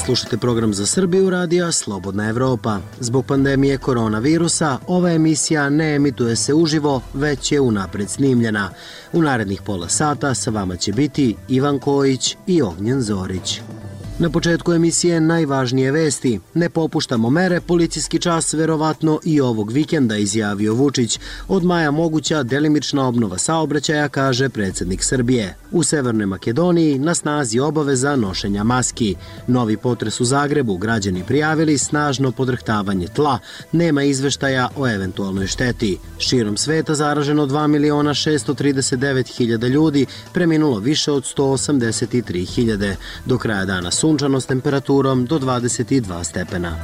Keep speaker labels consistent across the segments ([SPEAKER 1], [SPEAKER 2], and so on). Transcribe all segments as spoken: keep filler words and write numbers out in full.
[SPEAKER 1] Slušate program za Srbiju radija Slobodna Evropa. Zbog pandemije koronavirusa, ova emisija ne emituje se uživo, već je unapred snimljena. U narednih pola sata sa vama će biti Ivan Kojić i Ognjen Zorić. Na početku emisije najvažnije vesti. Ne popuštamo mere, policijski čas verovatno i ovog vikenda, izjavio Vučić. Od maja moguća delimična obnova saobraćaja, kaže predsjednik Srbije. U Severnoj Makedoniji na snazi obaveza nošenja maski. Novi potres u Zagrebu, građani prijavili snažno podrhtavanje tla. Nema izveštaja o eventualnoj šteti. Širom sveta zaraženo dva miliona šesto trideset devet hiljada ljudi, preminulo više od sto osamdeset tri hiljade. Do kraja dana sunčano s temperaturom do dvadeset dva stepena.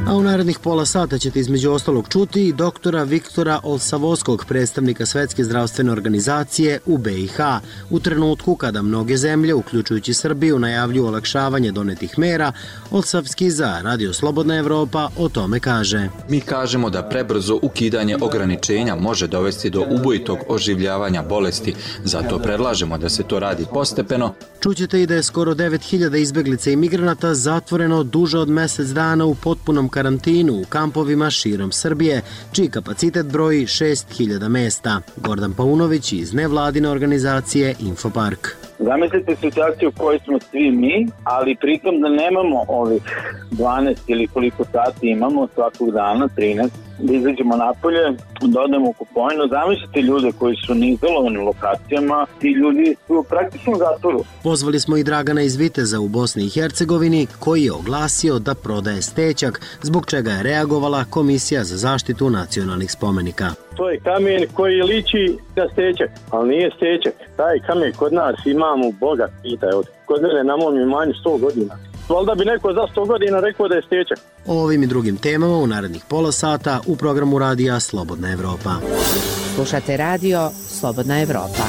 [SPEAKER 1] A u narednih pola sata ćete između ostalog čuti i doktora Viktora Olsavovskog, predstavnika Svetske zdravstvene organizacije u B i H. U trenutku kada mnoge zemlje, uključujući Srbiju, najavljuju olakšavanje donetih mera, Olsavski za Radio Slobodna Evropa o tome kaže.
[SPEAKER 2] Mi kažemo da prebrzo ukidanje ograničenja može dovesti do ubojitog oživljavanja bolesti, zato predlažemo da se to radi postepeno.
[SPEAKER 1] Čućete i da je skoro devet hiljada izbeglica i migranata zatvoreno duže od mesec dana u potpunom karantinu u kampovima širom Srbije, čiji kapacitet broji šest hiljada mesta. Gordan Paunović iz nevladine organizacije Infopark.
[SPEAKER 3] Zamislite situaciju u kojoj smo svi mi, ali pritom da nemamo ovih dvanaest ili koliko sati imamo svakog dana, trinaest, da izađemo napolje, da odemo u kupovinu. Zamislite ljude koji su na izolovanim lokacijama, ti ljudi su praktično u zatvoru.
[SPEAKER 1] Pozvali smo i Dragana iz Viteza u Bosni i Hercegovini, koji je oglasio da prodaje stećak, zbog čega je reagovala Komisija za zaštitu nacionalnih spomenika.
[SPEAKER 4] To je kamen koji liči na stećak, ali nije stećak. Taj kamen kod nas imamo bogat, pitaj ovdje. Kod mene na mom imanju sto godina. Valjda bi neko za sto godina rekao da je stećak.
[SPEAKER 1] O ovim i drugim temama u narednih pola sata u programu radija Slobodna Evropa.
[SPEAKER 5] Slušate radio Slobodna Evropa.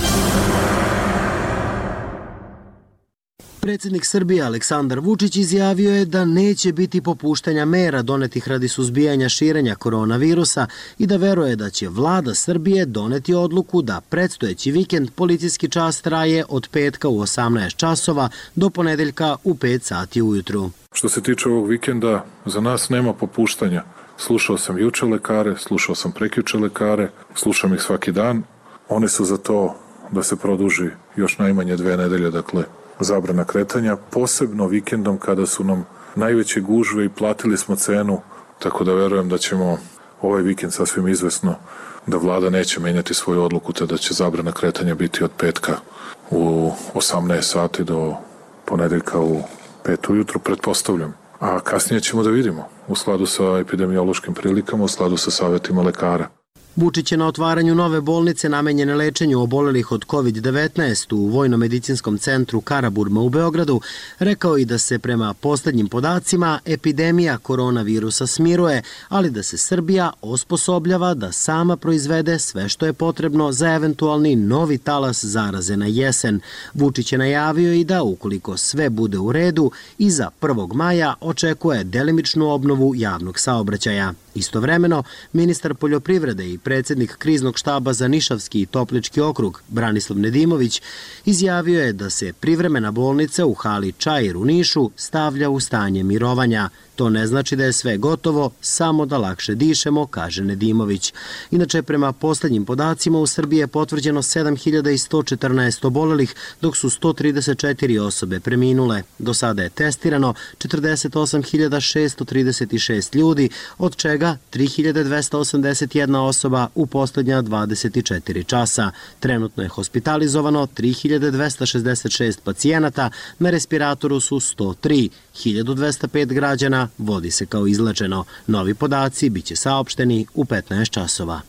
[SPEAKER 1] Predsjednik Srbije Aleksandar Vučić izjavio je da neće biti popuštanja mera donetih radi suzbijanja širenja koronavirusa i da veruje da će vlada Srbije doneti odluku da predstojeći vikend policijski čas traje od petka u osamnaest časova do ponedeljka u pet sati ujutru.
[SPEAKER 6] Što se tiče ovog vikenda, za nas nema popuštanja. Slušao sam juče lekare, slušao sam prekjuče lekare, slušam ih svaki dan. One su za to da se produži još najmanje dve nedelje, dakle, zabrana kretanja, posebno vikendom kada su nam najveće gužve i platili smo cenu, tako da verujem da ćemo ovaj vikend sasvim izvesno da vlada neće menjati svoju odluku, te da će zabrana kretanja biti od petka u osamnaest sati do ponedeljka u pet ujutru, pretpostavljam. A kasnije ćemo da vidimo u skladu sa epidemiološkim prilikama, u skladu sa savjetima lekara.
[SPEAKER 1] Vučić je na otvaranju nove bolnice namenjene lečenju obolelih od kovid devetnaest u Vojno-medicinskom centru Karaburma u Beogradu rekao i da se prema posljednjim podacima epidemija koronavirusa smiruje, ali da se Srbija osposobljava da sama proizvede sve što je potrebno za eventualni novi talas zaraze na jesen. Vučić je najavio i da ukoliko sve bude u redu, iza prvog maja očekuje delimičnu obnovu javnog saobraćaja. Istovremeno, ministar poljoprivrede i predsjednik kriznog štaba za Nišavski i Toplički okrug, Branislav Nedimović, izjavio je da se privremena bolnica u hali Čair u Nišu stavlja u stanje mirovanja. To ne znači da je sve gotovo, samo da lakše dišemo, kaže Nedimović. Inače, prema posljednjim podacima u Srbiji je potvrđeno sedam hiljada sto četrnaest obolelih, dok su sto trideset četiri osobe preminule. Do sada je testirano četrdeset osam hiljada šesto trideset šest ljudi, od čega tri hiljade dvesta osamdeset jedna osoba u posljednja dvadeset četiri časa. Trenutno je hospitalizovano tri hiljade dvesta šezdeset šest pacijenata, na respiratoru su sto tri. hiljadu dvesta pet građana vodi se kao izlečeno. Novi podaci biće saopšteni u petnaest časova.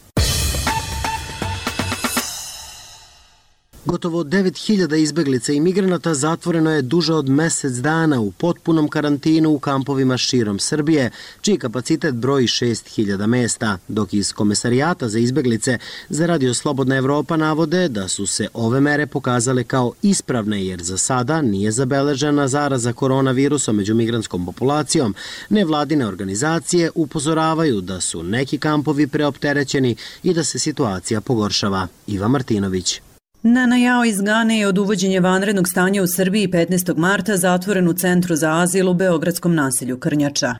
[SPEAKER 1] Gotovo devet hiljada izbeglica i migranata zatvoreno je duže od mesec dana u potpunom karantinu u kampovima širom Srbije, čiji kapacitet broji šest hiljada mesta, dok iz Komesarijata za izbeglice za Radio Slobodna Evropa navode da su se ove mere pokazale kao ispravne jer za sada nije zabeležena zaraza koronavirusom među migrantskom populacijom. Nevladine organizacije upozoravaju da su neki kampovi preopterećeni i da se situacija pogoršava. Iva Martinović.
[SPEAKER 7] Nana Jao iz Gane je od uvođenja vanrednog stanja u Srbiji petnaestog marta zatvoren u Centru za azil u beogradskom naselju Krnjača.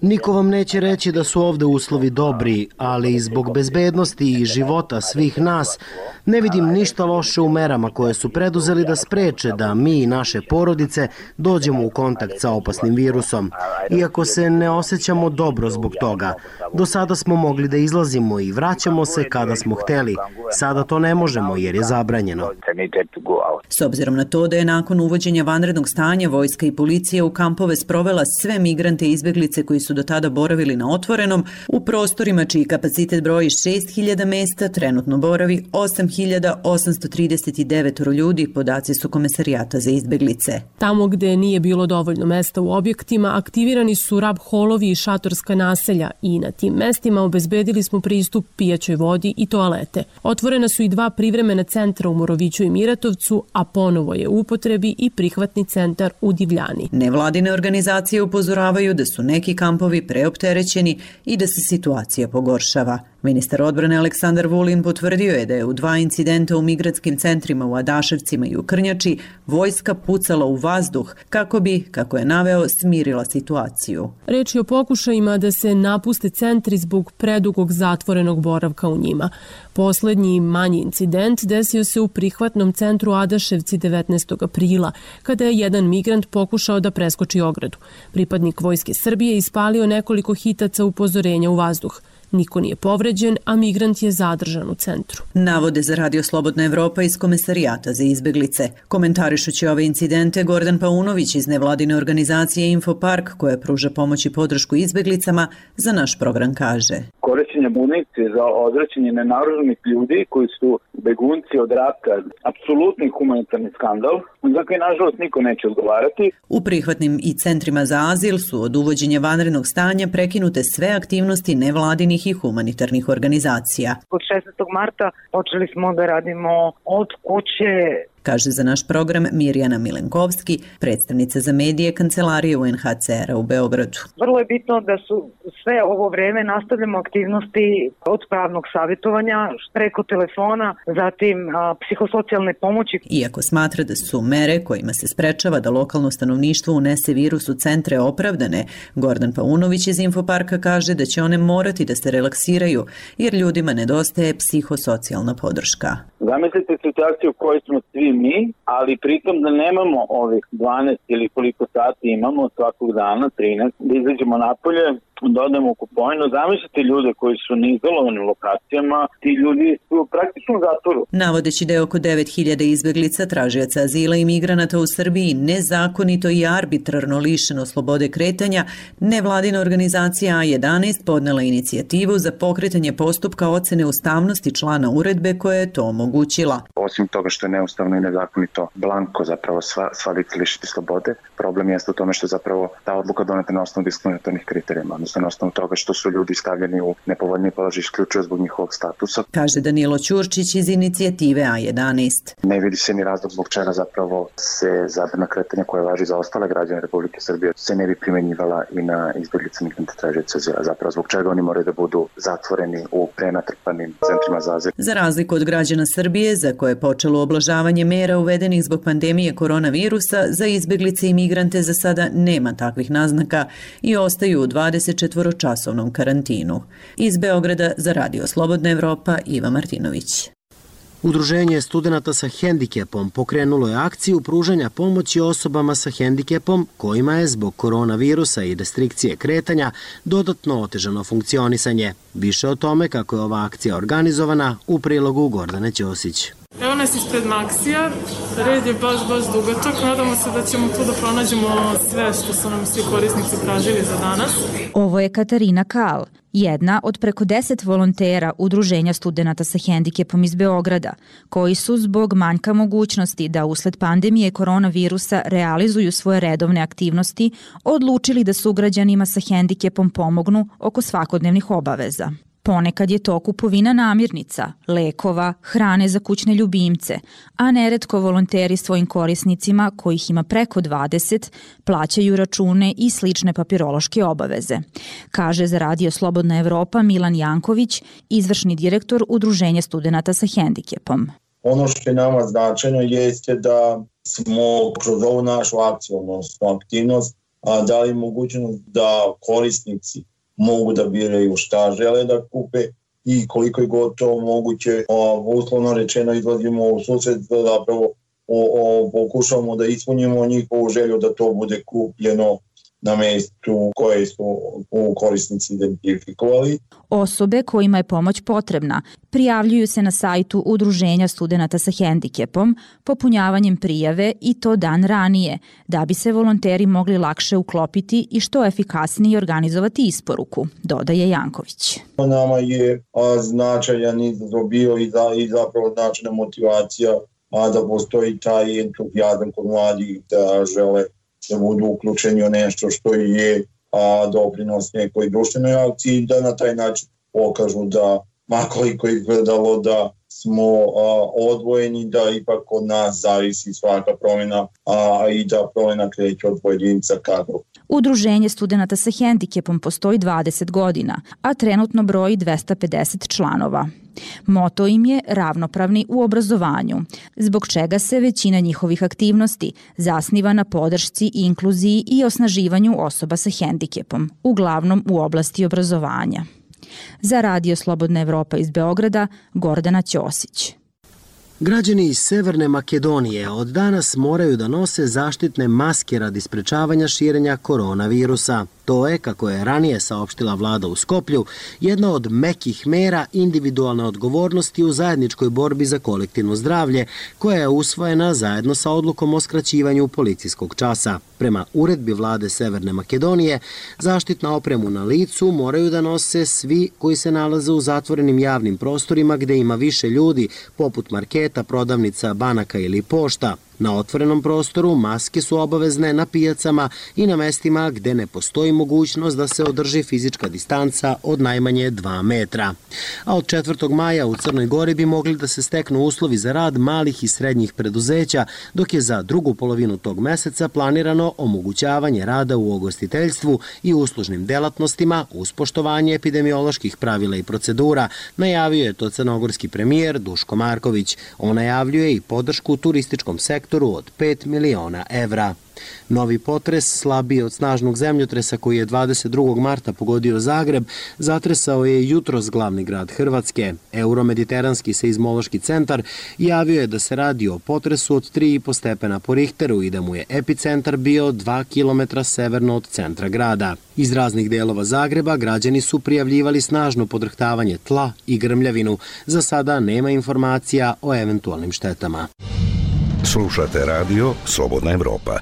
[SPEAKER 1] Niko vam neće reći da su ovde uslovi dobri, ali i zbog bezbednosti i života svih nas ne vidim ništa loše u merama koje su preduzeli da spreče da mi i naše porodice dođemo u kontakt sa opasnim virusom. Iako se ne osjećamo dobro zbog toga, do sada smo mogli da izlazimo i vraćamo se kada smo hteli. Sada to ne možemo jer je zabranjeno.
[SPEAKER 7] S obzirom na to da je nakon uvođenja vanrednog stanja vojska i policija u kampove sprovela sve migrante i izbeglice koji su do tada boravili na otvorenom, u prostorima čiji kapacitet broji šest hiljada mesta trenutno boravi osam hiljada osamsto trideset devet ljudi, podaci su Komesarijata za izbeglice.
[SPEAKER 8] Tamo gde nije bilo dovoljno mesta u objektima, aktivirani su rab holovi i šatorska naselja i na tim mestima obezbedili smo pristup pijaćoj vodi i toalete. Otvorena su i dva privremena centra u Moroviću i Miratovcu, a ponovo je u upotrebi i prihvatni centar u Divljani.
[SPEAKER 7] Nevladine organizacije upozoravaju da su neki kampovi preopterećeni i da se situacija pogoršava. Ministar odbrane Aleksandar Vulin potvrdio je da je u dva incidenta u migratskim centrima u Adaševcima i u Krnjači vojska pucala u vazduh kako bi, kako je naveo, smirila situaciju.
[SPEAKER 8] Reč je o pokušajima da se napuste centri zbog predugog zatvorenog boravka u njima. Poslednji manji incident desio se u prihvatnom centru Adaševci devetnaestog aprila, kada je jedan migrant pokušao da preskoči ogradu. Pripadnik Vojske Srbije ispalio nekoliko hitaca upozorenja u vazduh. Niko nije povređen, a migrant je zadržan u centru.
[SPEAKER 7] Navode za Radio Slobodna Evropa iz Komesarijata za izbeglice. Komentarišući ove incidente, Gordan Paunović iz nevladine organizacije Infopark, koja pruža pomoć i podršku izbeglicama, za naš program kaže:
[SPEAKER 3] Korišćenje municije za odvraćanje nenaoružanih ljudi koji su begunci od rata, apsolutni humanitarni skandal, za koji nažalost niko neće odgovarati.
[SPEAKER 7] U prihvatnim i centrima za azil su od uvođenja vanrednog stanja prekinute sve aktivnosti nevladinih i humanitarnih organizacija.
[SPEAKER 9] Od šesnaestog marta počeli smo da radimo od kuće,
[SPEAKER 7] kaže za naš program Mirjana Milenkovski, predstavnica za medije Kancelarije U N H C R-a u Beogradu.
[SPEAKER 9] Vrlo je bitno da su sve ovo vreme nastavljamo aktivnosti od pravnog savjetovanja preko telefona, zatim a, psihosocijalne pomoći.
[SPEAKER 7] Iako smatra da su mere kojima se sprečava da lokalno stanovništvo unese virus u centre opravdane, Gordan Paunović iz Infoparka kaže da će one morati da se relaksiraju jer ljudima nedostaje psihosocijalna podrška.
[SPEAKER 3] Zamislite situaciju u kojoj smo svi mi, ali pritom da nemamo ovih dvanaest ili koliko sati imamo svakog dana, trinaest, da izađemo napolje, da odemo u Kupojno. Zamislite ljude koji su na izolovanim lokacijama, ti ljudi su praktično u zatvoru.
[SPEAKER 7] Navodeći da je oko devet hiljada izbeglica, tražioca azila i migranata u Srbiji nezakonito i arbitrarno lišeno slobode kretanja, nevladina organizacija A jedanaest podnela inicijativu za pokretanje postupka ocene ustavnosti člana uredbe koja je to omogućila.
[SPEAKER 10] Osim toga što je neustavno i nezakonito blanko zapravo sva, sva lica lišiti slobode, problem jeste u tome što je zapravo ta odluka doneta na osnovu diskriminatornih kriterijuma, odnosno na osnovu toga što su ljudi stavljeni u nepovoljniji položaj isključivo zbog njihovog statusa.
[SPEAKER 7] Kaže Danilo Ćurčić iz inicijative A jedanaest.
[SPEAKER 10] Ne vidi se ni razlog zbog čega zapravo se zabrana kretanja koja važi za ostale građane Republike Srbije se ne bi primenjivala i na izbeglice migrante tražioce azila. Zapravo zbog čega oni moraju da budu zatvoreni u prenatrpanim centrima za azil.
[SPEAKER 7] Za razliku od građana Srbije, za koje je počelo oblažavanje mera uvedenih zbog pandemije koronavirusa, za izbeglice i migrante za sada nema takvih naznaka i ostaju u dvadesetčetvoročasovnom karantinu. Iz Beograda za Radio Slobodna Evropa, Iva Martinović.
[SPEAKER 1] Udruženje studenata sa hendikepom pokrenulo je akciju pružanja pomoći osobama sa hendikepom kojima je zbog koronavirusa i restrikcije kretanja dodatno otežano funkcionisanje. Više o tome kako je ova akcija organizovana u prilogu Gordane Ćosić.
[SPEAKER 11] Evo nas ispred Maksija, red je baš, baš dugačak, nadamo se da ćemo tu da pronađemo sve što su nam svi korisnici tražili za danas.
[SPEAKER 12] Ovo je Katarina Kal, jedna od preko deset volontera Udruženja studenata sa hendikepom iz Beograda, koji su zbog manjka mogućnosti da usled pandemije koronavirusa realizuju svoje redovne aktivnosti, odlučili da sugrađanima sa hendikepom pomognu oko svakodnevnih obaveza. Ponekad je to kupovina namirnica, lekova, hrane za kućne ljubimce, a neretko volonteri svojim korisnicima, kojih ima preko dvadeset, plaćaju račune i slične papirološke obaveze, kaže za Radio Slobodna Evropa Milan Janković, izvršni direktor Udruženja studenata sa hendikepom.
[SPEAKER 13] Ono što je nama značajno jeste da smo kroz ovu našu akciju, odnosno aktivnost, dali mogućnost da korisnici mogu da biraju šta žele da kupe i koliko je gotovo moguće, uslovno rečeno izlazimo u susret da zapravo o, o, pokušamo da ispunimo njihovu želju da to bude kupljeno na mestu koje su korisnici identifikovali.
[SPEAKER 12] Osobe kojima je pomoć potrebna prijavljuju se na sajtu Udruženja studenata sa hendikepom popunjavanjem prijave i to dan ranije, da bi se volonteri mogli lakše uklopiti i što efikasnije organizovati isporuku, dodaje Janković.
[SPEAKER 13] Nama je a, značajan izazov bio i, za, i zapravo značajna motivacija a, da postoji taj entuzijazam kod mladih da žele da budu uključeni u nešto što je a, doprinos nekoj društvenoj akciji, da na taj način pokažu da, makoliko izgledalo da smo a, odvojeni, da ipak od nas zavisi svaka promjena a, i da promjena kreće od pojedinca ka drugom.
[SPEAKER 12] Udruženje studenata sa hendikepom postoji dvadeset godina, a trenutno broji dvesta pedeset članova. Moto im je ravnopravni u obrazovanju, zbog čega se većina njihovih aktivnosti zasniva na podršci, inkluziji i osnaživanju osoba sa hendikepom, uglavnom u oblasti obrazovanja. Za Radio Slobodna Evropa iz Beograda, Gordana Ćosić.
[SPEAKER 1] Građani iz Severne Makedonije od danas moraju da nose zaštitne maske radi sprečavanja širenja koronavirusa. To je, kako je ranije saopštila vlada u Skoplju, jedna od mekih mera individualne odgovornosti u zajedničkoj borbi za kolektivno zdravlje, koja je usvojena zajedno sa odlukom o skraćivanju policijskog časa. Prema uredbi vlade Severne Makedonije, zaštitna opremu na licu moraju da nose svi koji se nalaze u zatvorenim javnim prostorima gde ima više ljudi, poput marketa, prodavnica, banaka ili pošta. Na otvorenom prostoru maske su obavezne na pijacama i na mestima gde ne postoji mogućnost da se održi fizička distanca od najmanje dva metra. A od četvrtog maja u Crnoj Gori bi mogli da se steknu uslovi za rad malih i srednjih preduzeća, dok je za drugu polovinu tog meseca planirano omogućavanje rada u ugostiteljstvu i uslužnim delatnostima uz poštovanje epidemioloških pravila i procedura, najavio je to crnogorski premijer Duško Marković. On najavljuje i podršku turističkom sektoru od pet miliona evra. Novi potres, slabiji od snažnog zemljotresa koji je dvadeset drugog marta pogodio Zagreb, zatresao je jutros glavni grad Hrvatske. Euromediteranski seizmološki centar javio je da se radi o potresu od tri i po stepena po Richteru i da mu je epicentar bio dva kilometra severno od centra grada. Iz raznih delova Zagreba građani su prijavljivali snažno podrhtavanje tla i grmljavinu. Za sada nema informacija o eventualnim štetama.
[SPEAKER 14] Slušate radio Slobodna Evropa.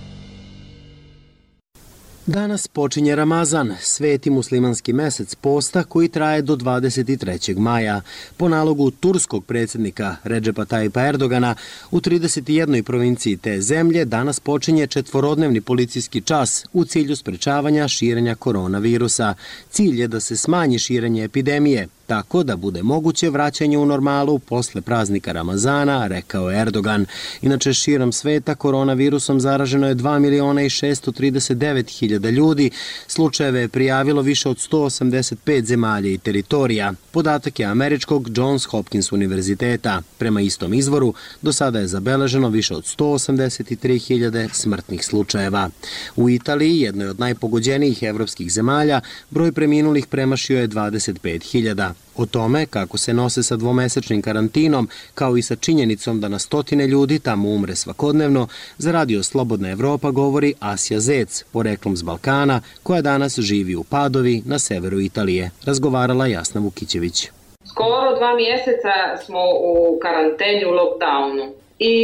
[SPEAKER 1] Danas počinje Ramazan, sveti muslimanski mesec posta koji traje do dvadeset trećeg maja. Po nalogu turskog predsjednika Redžepa Tajipa Erdogana, u trideset jednoj provinciji te zemlje danas počinje četvorodnevni policijski čas u cilju sprečavanja širenja koronavirusa. Cilj je da se smanji širenje epidemije, tako da bude moguće vraćanje u normalu posle praznika Ramazana, rekao Erdogan. Inače, širom sveta koronavirusom zaraženo je dva miliona i šesto trideset devet hiljada ljudi. Slučajeve je prijavilo više od sto osamdeset pet zemalja i teritorija. Podatak je američkog Johns Hopkins univerziteta. Prema istom izvoru, do sada je zabeleženo više od sto osamdeset tri hiljade smrtnih slučajeva. U Italiji, jednoj od najpogođenijih evropskih zemalja, broj preminulih premašio je dvadeset pet hiljada. O tome kako se nose sa dvomesečnim karantinom, kao i sa činjenicom da na stotine ljudi tamo umre svakodnevno, za Radio Slobodna Evropa govori Asja Zec, poreklom s Balkana, koja danas živi u Padovi na severu Italije. Razgovarala Jasna Vukićević.
[SPEAKER 15] Skoro dva mjeseca smo u karanteni, u lockdownu. I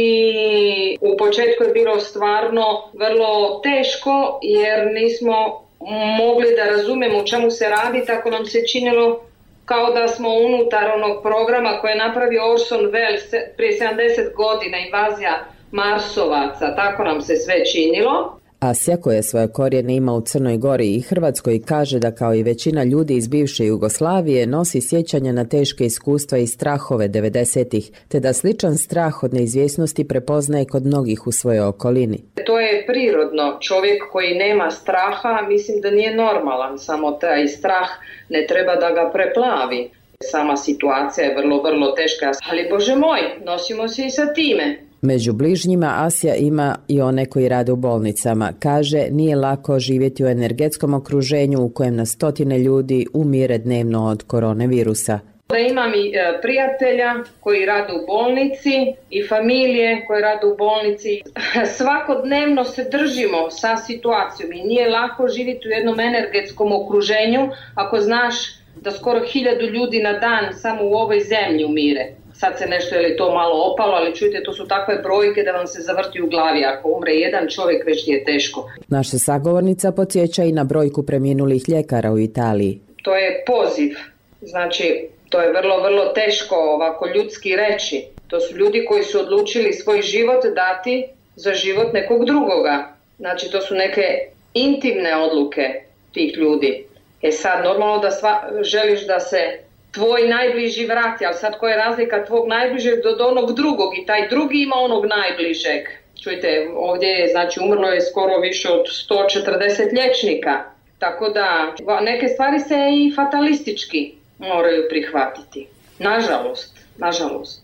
[SPEAKER 15] u početku je bilo stvarno vrlo teško jer nismo mogli da razumemo u čemu se radi, tako nam se činilo kao da smo unutar onog programa koje je napravio Orson Welles prije sedamdeset godina, invazija Marsovaca, tako nam se sve činilo.
[SPEAKER 16] Asja, koja svoje korijene ima u Crnoj Gori i Hrvatskoj, kaže da kao i većina ljudi iz bivše Jugoslavije nosi sjećanja na teške iskustva i strahove devedesetih, te da sličan strah od neizvjesnosti prepoznaje kod mnogih u svojoj okolini.
[SPEAKER 15] To je prirodno. Čovjek koji nema straha, mislim da nije normalan, samo taj strah ne treba da ga preplavi. Sama situacija je vrlo, vrlo teška, ali Bože moj, nosimo se i sa time.
[SPEAKER 16] Među bližnjima Asja ima i one koji rade u bolnicama. Kaže, nije lako živjeti u energetskom okruženju u kojem na stotine ljudi umire dnevno od koronavirusa.
[SPEAKER 15] Da imam i prijatelja koji rade u bolnici i familije koje rade u bolnici. Svakodnevno se držimo sa situacijom i nije lako živjeti u jednom energetskom okruženju ako znaš da skoro hiljadu ljudi na dan samo u ovoj zemlji umire. Sad se nešto je li to malo opalo, ali čujte, to su takve brojke da vam se zavrti u glavi. Ako umre jedan čovjek, već je teško.
[SPEAKER 16] Naša sagovornica podsjeća i na brojku preminulih ljekara u Italiji.
[SPEAKER 15] To je poziv. Znači, to je vrlo, vrlo teško ovako ljudski reći. To su ljudi koji su odlučili svoj život dati za život nekog drugoga. Znači, to su neke intimne odluke tih ljudi. E sad, normalno da sva, želiš da se tvoj najbliži vrati, ali sad koja je razlika tvog najbližeg do onog drugog i taj drugi ima onog najbližeg. Čujte, ovdje je, znači, umrlo je skoro više od sto četrdeset liječnika, tako da neke stvari se i fatalistički moraju prihvatiti. Nažalost, nažalost.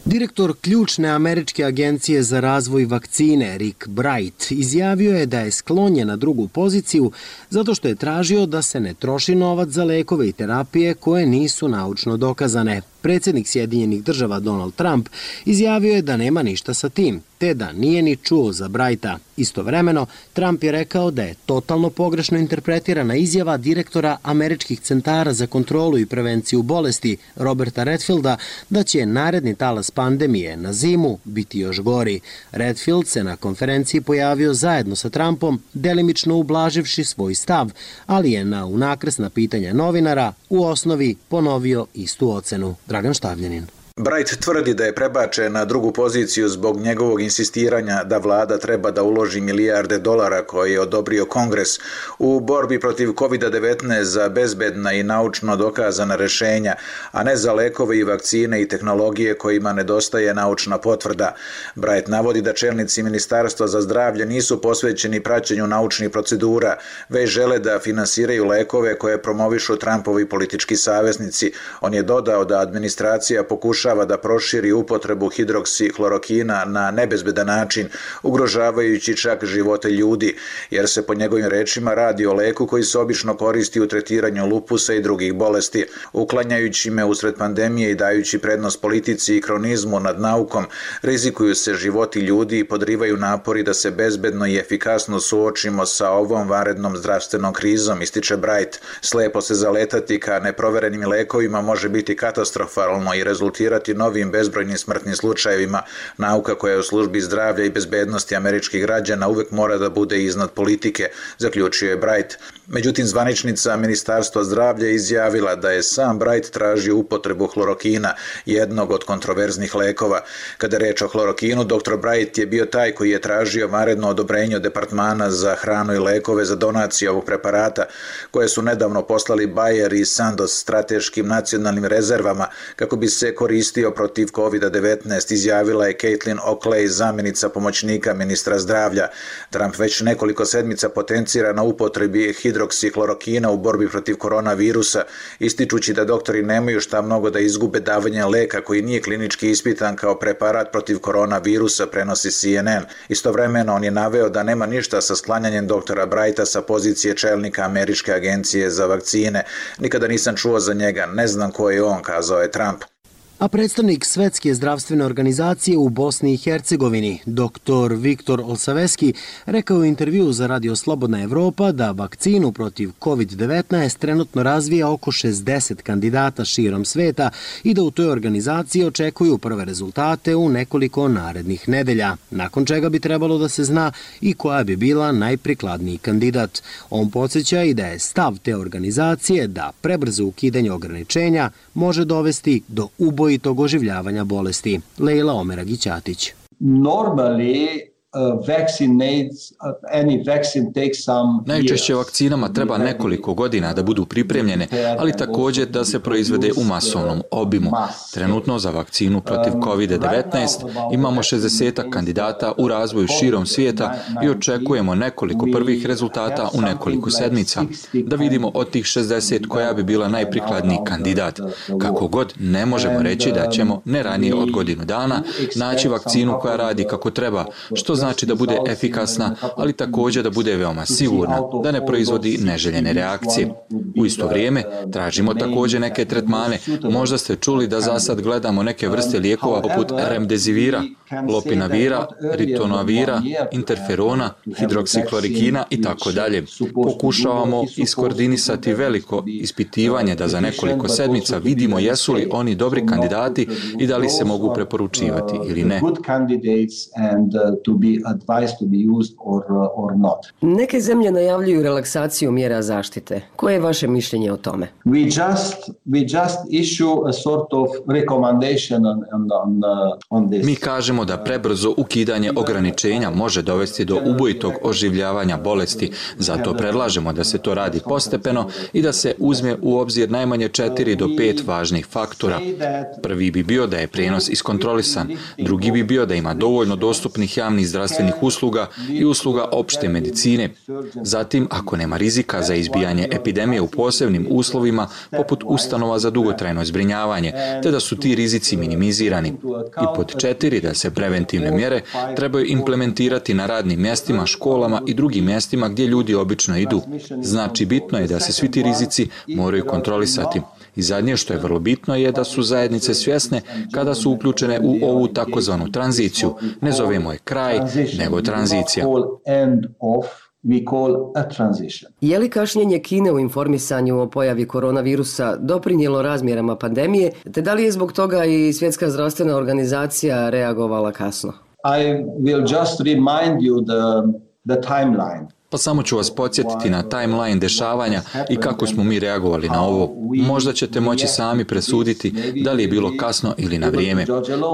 [SPEAKER 1] Direktor ključne američke agencije za razvoj vakcine Rick Bright izjavio je da je sklonjen na drugu poziciju zato što je tražio da se ne troši novac za lekove i terapije koje nisu naučno dokazane. Predsjednik Sjedinjenih država Donald Trump izjavio je da nema ništa sa tim, te da nije ni čuo za Brighta. Istovremeno, Trump je rekao da je totalno pogrešno interpretirana izjava direktora američkih centara za kontrolu i prevenciju bolesti Roberta Redfielda da će naredni talas pandemije na zimu biti još gori. Redfield se na konferenciji pojavio zajedno sa Trumpom, delimično ublaživši svoj stav, ali je na unakrsna pitanja novinara u osnovi ponovio istu ocenu. Dragan Štavljanin.
[SPEAKER 17] Bright tvrdi da je prebačen na drugu poziciju zbog njegovog insistiranja da vlada treba da uloži milijarde dolara koje je odobrio Kongres u borbi protiv kovid devetnaest za bezbedna i naučno dokazana rešenja, a ne za lekove i vakcine i tehnologije kojima nedostaje naučna potvrda. Bright navodi da čelnici Ministarstva za zdravlje nisu posvećeni praćenju naučnih procedura, već žele da finansiraju lekove koje promovišu Trumpovi politički saveznici. On je dodao da administracija pokuša da proširi upotrebu hidroksihlorokina na nebezbedan način, ugrožavajući čak živote ljudi, jer se po njegovim rečima radi o leku koji se obično koristi u tretiranju lupusa i drugih bolesti. Uklanjajući me usred pandemije i dajući prednost politici i kronizmu nad naukom, rizikuju se životi ljudi i podrivaju napori da se bezbedno i efikasno suočimo sa ovom vanrednom zdravstvenom krizom, ističe Bright. Slepo se zaletati ka neproverenim lekovima može biti katastrofalno i rezultirati novim bezbrojnim smrtnim slučajevima. Nauka koja je u službi zdravlja i bezbednosti američkih građana uvek mora da bude iznad politike, zaključio je Bright. Međutim, zvaničnica Ministarstva zdravlja izjavila da je sam Bright tražio upotrebu hlorokina, jednog od kontroverznih lekova. Kada je reč o hlorokinu, doktor Bright je bio taj koji je tražio vanredno odobrenje od Departmana za hranu i lekove za donaciju ovog preparata, koje su nedavno poslali Bayer i Sandoz strateškim nacionalnim rezervama kako bi se koristio protiv kovid devetnaest, izjavila je Caitlin Oakley, zamjenica pomoćnika ministra zdravlja. Trump već nekoliko sedmica potencira na upotrebi hidroksihlorokina u borbi protiv koronavirusa, ističući da doktori nemaju šta mnogo da izgube davanje leka koji nije klinički ispitan kao preparat protiv koronavirusa, prenosi C N N. Istovremeno on je naveo da nema ništa sa sklanjanjem doktora Brighta sa pozicije čelnika Američke agencije za vakcine. Nikada nisam čuo za njega, ne znam ko je on, kazao je Trump.
[SPEAKER 1] A predstavnik Svetske zdravstvene organizacije u Bosni i Hercegovini, doktor Viktor Olsaveski, rekao u intervju za Radio Slobodna Evropa da vakcinu protiv kovid devetnaest trenutno razvija oko šezdeset kandidata širom sveta i da u toj organizaciji očekuju prve rezultate u nekoliko narednih nedelja, nakon čega bi trebalo da se zna i koja bi bila najprikladniji kandidat. On podsjeća i da je stav te organizacije da prebrzo ukidanje ograničenja može dovesti do ubojitog oživljavanja bolesti. Lejla Omeragić-Ćatić.
[SPEAKER 18] Normally,
[SPEAKER 2] Najčešće vakcinama treba nekoliko godina da budu pripremljene, ali također da se proizvede u masovnom obimu. Trenutno za vakcinu protiv kovid devetnaest imamo šezdeset kandidata u razvoju širom svijeta i očekujemo nekoliko prvih rezultata u nekoliko sedmica. Da vidimo od tih šezdeset koja bi bila najprikladniji kandidat. Kako god, ne možemo reći da ćemo ne ranije od godinu dana naći vakcinu koja radi kako treba, što znači da bude efikasna, ali također da bude veoma sigurna, da ne proizvodi neželjene reakcije. U isto vrijeme tražimo također neke tretmane. Možda ste čuli da za sad gledamo neke vrste lijekova poput remdesivira, lopinavira, ritonavira, interferona, hidroksiklorikina i tako dalje. Pokušavamo iskoordinisati veliko ispitivanje da za nekoliko sedmica vidimo jesu li oni dobri kandidati i da li se mogu preporučivati ili ne.
[SPEAKER 18] Neke zemlje najavljuju relaksaciju mjera zaštite. Koje je vaše mišljenje o tome?
[SPEAKER 19] We just we just issue a sort of recommendation on on on this.
[SPEAKER 2] Mi kažemo da prebrzo ukidanje ograničenja može dovesti do ubojitog oživljavanja bolesti, zato predlažemo da se to radi postepeno i da se uzme u obzir najmanje četiri do pet važnih faktora. Prvi bi bio da je prijenos iskontrolisan, drugi bi bio da ima dovoljno dostupnih javnih zdravstvenih usluga i usluga opšte medicine. Zatim, ako nema rizika za izbijanje epidemije u posebnim uslovima, poput ustanova za dugotrajno zbrinjavanje, te da su ti rizici minimizirani. I pod četiri, da se preventivne mjere trebaju implementirati na radnim mjestima, školama i drugim mjestima gdje ljudi obično idu. Znači, bitno je da se svi ti rizici moraju kontrolisati. I zadnje što je vrlo bitno je da su zajednice svjesne kada su uključene u ovu takozvanu tranziciju. Ne zovemo je kraj, nego tranzicija.
[SPEAKER 18] Je li kašnjenje Kine u informisanju o pojavi koronavirusa doprinijelo razmjerama pandemije, te da li je zbog toga i Svjetska zdravstvena organizacija reagovala kasno?
[SPEAKER 19] I will just remind you the, the timeline.
[SPEAKER 2] Pa samo ću vas podsjetiti na timeline dešavanja i kako smo mi reagovali na ovo. Možda ćete moći sami presuditi da li je bilo kasno ili na vrijeme.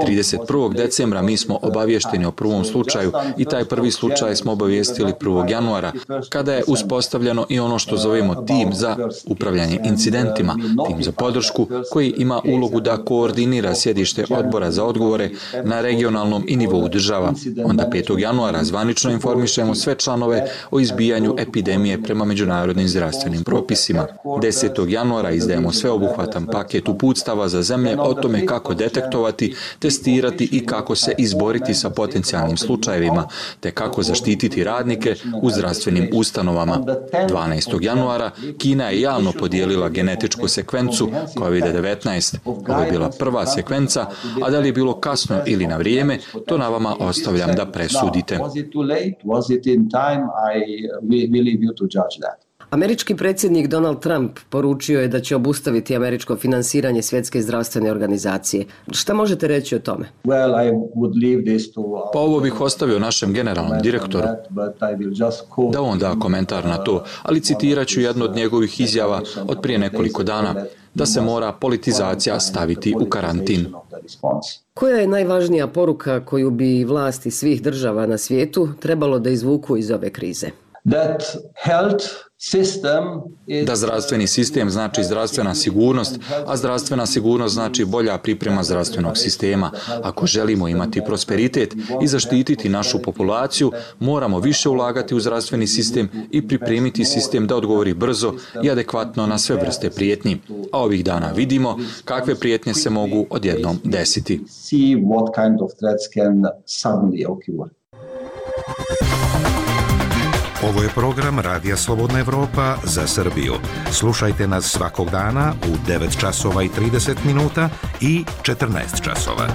[SPEAKER 2] trideset prvog decembra mi smo obavješteni o prvom slučaju i taj prvi slučaj smo obavijestili prvog januara, kada je uspostavljeno i ono što zovemo tim za upravljanje incidentima, tim za podršku koji ima ulogu da koordinira sjedište odbora za odgovore na regionalnom i nivou država. Onda petog januara zvanično informišemo sve članove o izbijanju epidemije prema međunarodnim zdravstvenim propisima. desetog januara izdajemo sveobuhvatan paket uputstava za zemlje o tome kako detektovati, testirati i kako se izboriti sa potencijalnim slučajevima, te kako zaštititi radnike u zdravstvenim ustanovama. dvanaestog januara Kina je javno podijelila genetičku sekvencu kovid devetnaest. Ovo je bila prva sekvenca, a da li je bilo kasno ili na vrijeme, to na vama ostavljam da presudite.
[SPEAKER 18] Američki predsjednik Donald Trump poručio je da će obustaviti američko finansiranje Svjetske zdravstvene organizacije. Šta možete reći o tome?
[SPEAKER 2] Pa ovo bih ostavio našem generalnom direktoru, da on da komentar na to, ali citirat ću jednu od njegovih izjava od prije nekoliko dana, da se mora politizacija staviti u karantin.
[SPEAKER 18] Koja je najvažnija poruka koju bi vlasti svih država na svijetu trebalo da izvuku iz ove krize?
[SPEAKER 19] That health system is...
[SPEAKER 2] Da zdravstveni sistem znači zdravstvena sigurnost, a zdravstvena sigurnost znači bolja priprema zdravstvenog sistema. Ako želimo imati prosperitet i zaštititi našu populaciju, moramo više ulagati u zdravstveni sistem i pripremiti sistem da odgovori brzo i adekvatno na sve vrste prijetnji. A ovih dana vidimo kakve prijetnje se mogu odjednom desiti.
[SPEAKER 19] See what kind of threats can suddenly occur.
[SPEAKER 14] Ovo je program Radija Slobodna Evropa za Srbiju. Slušajte nas svakog dana u devet časova i trideset minuta i četrnaest časova.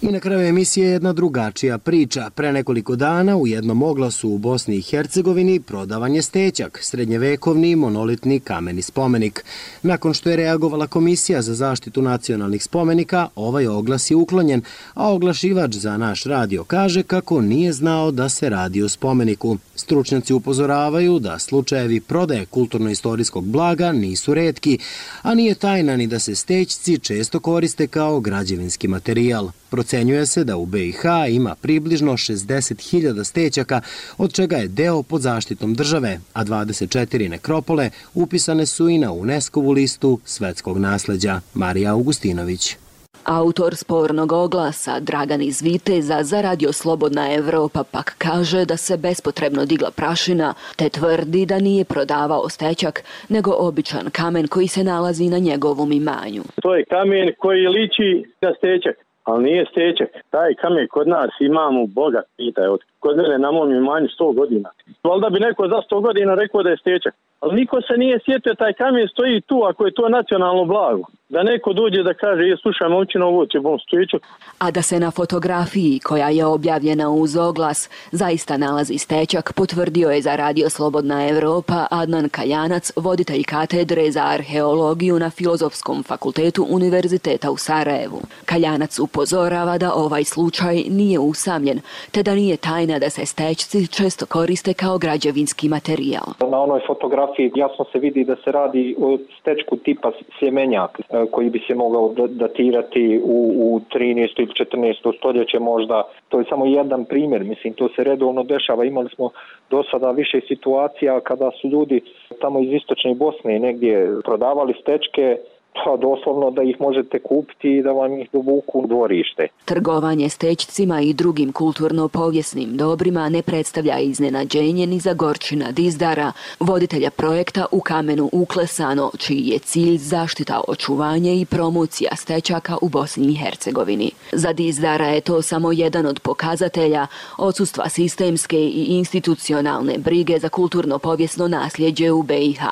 [SPEAKER 1] I na kraju emisije jedna drugačija priča. Pre nekoliko dana u jednom oglasu u Bosni i Hercegovini prodavan je stećak, srednjevekovni monolitni kameni spomenik. Nakon što je reagovala Komisija za zaštitu nacionalnih spomenika, ovaj oglas je uklonjen, a oglašivač za naš radio kaže kako nije znao da se radi o spomeniku. Stručnjaci upozoravaju da slučajevi prodaje kulturno-istorijskog blaga nisu retki, a nije tajna ni da se stećci često koriste kao građevinski materijal. Procenjuje se da u B i H ima približno šezdeset hiljada stećaka, od čega je deo pod zaštitom države, a dvadeset četiri nekropole upisane su i na UNESCO-vu listu svetskog nasleđa. Marija Augustinović.
[SPEAKER 20] Autor spornog oglasa Dragan iz Viteza za Radio Slobodna Evropa pak kaže da se bespotrebno digla prašina, te tvrdi da nije prodavao stećak, nego običan kamen koji se nalazi na njegovom imanju.
[SPEAKER 4] To je kamen koji liči na stećak, ali nije stećak. Taj kamen kod nas imamo, Boga pitaj, od kod mene na mom imanju sto godina. Valjda bi neko za sto godina rekao da je stećak. Ali niko se nije sjetio, taj kamen stoji tu, ako je to nacionalno blago. Da neko dođe da kaže, je, slušaj, momčina, ovo će bom stećak.
[SPEAKER 20] A da se na fotografiji, koja je objavljena uz oglas, zaista nalazi stećak, potvrdio je za Radio Slobodna Evropa Adnan Kaljanac, voditelj katedre za arheologiju na Filozofskom fakultetu Univerziteta u Sarajevu. Kaljanac upozorava da ovaj slučaj nije usamljen, te da nije tajna da se stećci često koriste kao građevinski materijal.
[SPEAKER 21] Na onoj fotografiji jasno se vidi da se radi o stečku tipa sljemenjak, koji bi se mogao datirati u, u trinaesto ili četrnaesto stoljeće možda. To je samo jedan primjer, mislim, to se redovno dešava. Imali smo do sada više situacija kada su ljudi tamo iz istočne Bosne negdje prodavali stečke, pa doslovno da ih možete kupiti i da vam ih dovuku u dvorište.
[SPEAKER 20] Trgovanje stećcima i drugim kulturno-povijesnim dobrima ne predstavlja iznenađenje ni za Gorčina Dizdara, voditelja projekta U kamenu uklesano, čiji je cilj zaštita, očuvanje i promocija stećaka u Bosni i Hercegovini. Za Dizdara je to samo jedan od pokazatelja odsustva sistemske i institucionalne brige za kulturno-povijesno nasljeđe u B i H.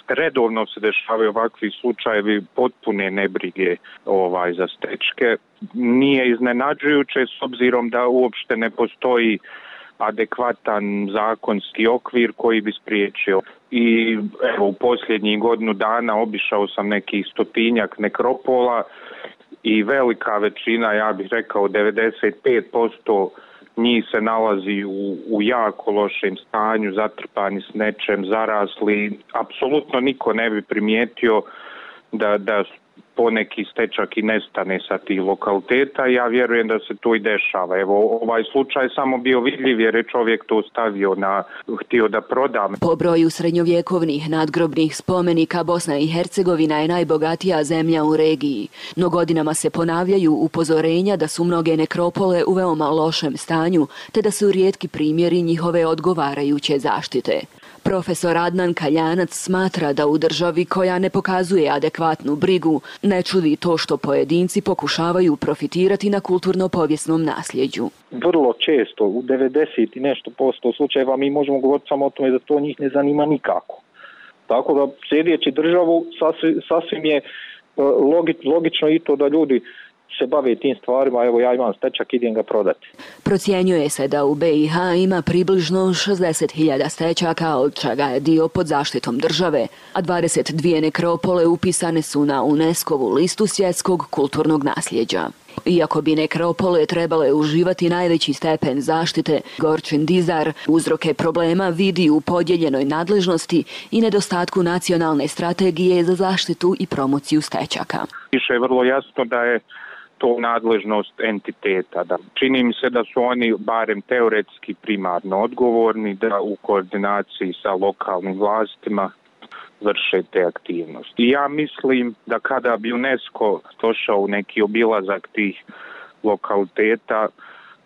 [SPEAKER 22] Redovno se dešavaju ovakvi slučajevi potpune nebrige ovaj, za stečke. Nije iznenađujuće s obzirom da uopšte ne postoji adekvatan zakonski okvir koji bi spriječio. I evo, u posljednjih godinu dana obišao sam nekih stotinjak nekropola i velika većina, ja bih rekao devedeset pet posto njih se nalazi u, u jako lošem stanju, zatrpani s nečem, zarasli. Apsolutno niko ne bi primijetio da, da poneki stečak i nestane sa tih lokaliteta. Ja vjerujem da se to i dešava. Evo, ovaj slučaj samo bio vidljiv jer je čovjek to stavio na, htio da proda.
[SPEAKER 20] Po broju srednjovjekovnih nadgrobnih spomenika Bosna i Hercegovina je najbogatija zemlja u regiji. No godinama se ponavljaju upozorenja da su mnoge nekropole u veoma lošem stanju, te da su rijetki primjeri njihove odgovarajuće zaštite. Profesor Adnan Kaljanac smatra da u državi koja ne pokazuje adekvatnu brigu ne čudi to što pojedinci pokušavaju profitirati na kulturno-povijesnom nasljeđu.
[SPEAKER 21] Vrlo često, u devedeset i nešto posto slučajeva, mi možemo govoriti samo o tome da to njih ne zanima nikako. Tako da, slijedeći državu, sasvim, sasvim je logi, logično i to da ljudi se bave tim stvarima, evo ja imam stečak, idem ga prodati.
[SPEAKER 20] Procjenjuje se da u B i H ima približno šezdeset hiljada stečaka, od čega je dio pod zaštitom države, a dvadeset dvije nekropole upisane su na UNESCO-vu listu svjetskog kulturnog nasljeđa. Iako bi nekropole trebale uživati najveći stepen zaštite, Gorčin Dizdar uzroke problema vidi u podijeljenoj nadležnosti i nedostatku nacionalne strategije za zaštitu i promociju stečaka.
[SPEAKER 22] Više je vrlo jasno da je to nadležnost entiteta. Da čini mi se da su oni barem teoretski primarno odgovorni da u koordinaciji sa lokalnim vlastima vrše te aktivnosti. I ja mislim da kada bi UNESCO došao u neki obilazak tih lokaliteta,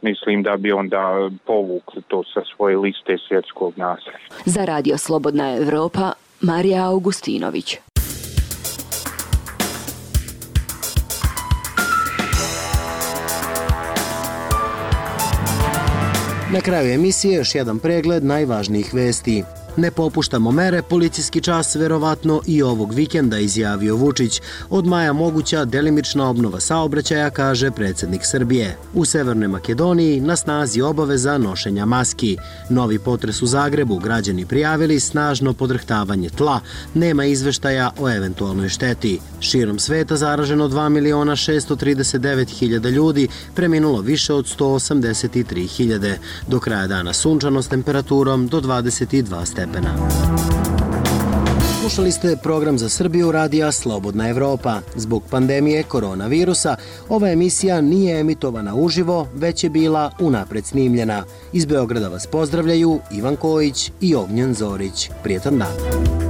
[SPEAKER 22] mislim da bi onda povukli to sa svoje liste svjetskog nasljeđa.
[SPEAKER 20] Za Radio Slobodna Evropa, Marija Augustinović.
[SPEAKER 1] Na kraju emisije još jedan pregled najvažnijih vesti. Ne popuštamo mere, policijski čas verovatno i ovog vikenda, izjavio Vučić. Od maja moguća delimična obnova saobraćaja, kaže predsjednik Srbije. U Severnoj Makedoniji na snazi obaveza nošenja maski. Novi potres u Zagrebu, građani prijavili snažno podrhtavanje tla. Nema izveštaja o eventualnoj šteti. Širom sveta zaraženo dva miliona šesto trideset devet hiljada ljudi, preminulo više od sto osamdeset tri hiljade. Do kraja dana sunčano s temperaturom do dvadeset dva stepena. Slušali ste program za Srbiju radija Slobodna Evropa. Zbog pandemije koronavirusa ova emisija nije emitovana uživo, već je bila unapred snimljena. Iz Beograda vas pozdravljaju Ivan Kojić i Ognjen Zorić. Prijetan dan.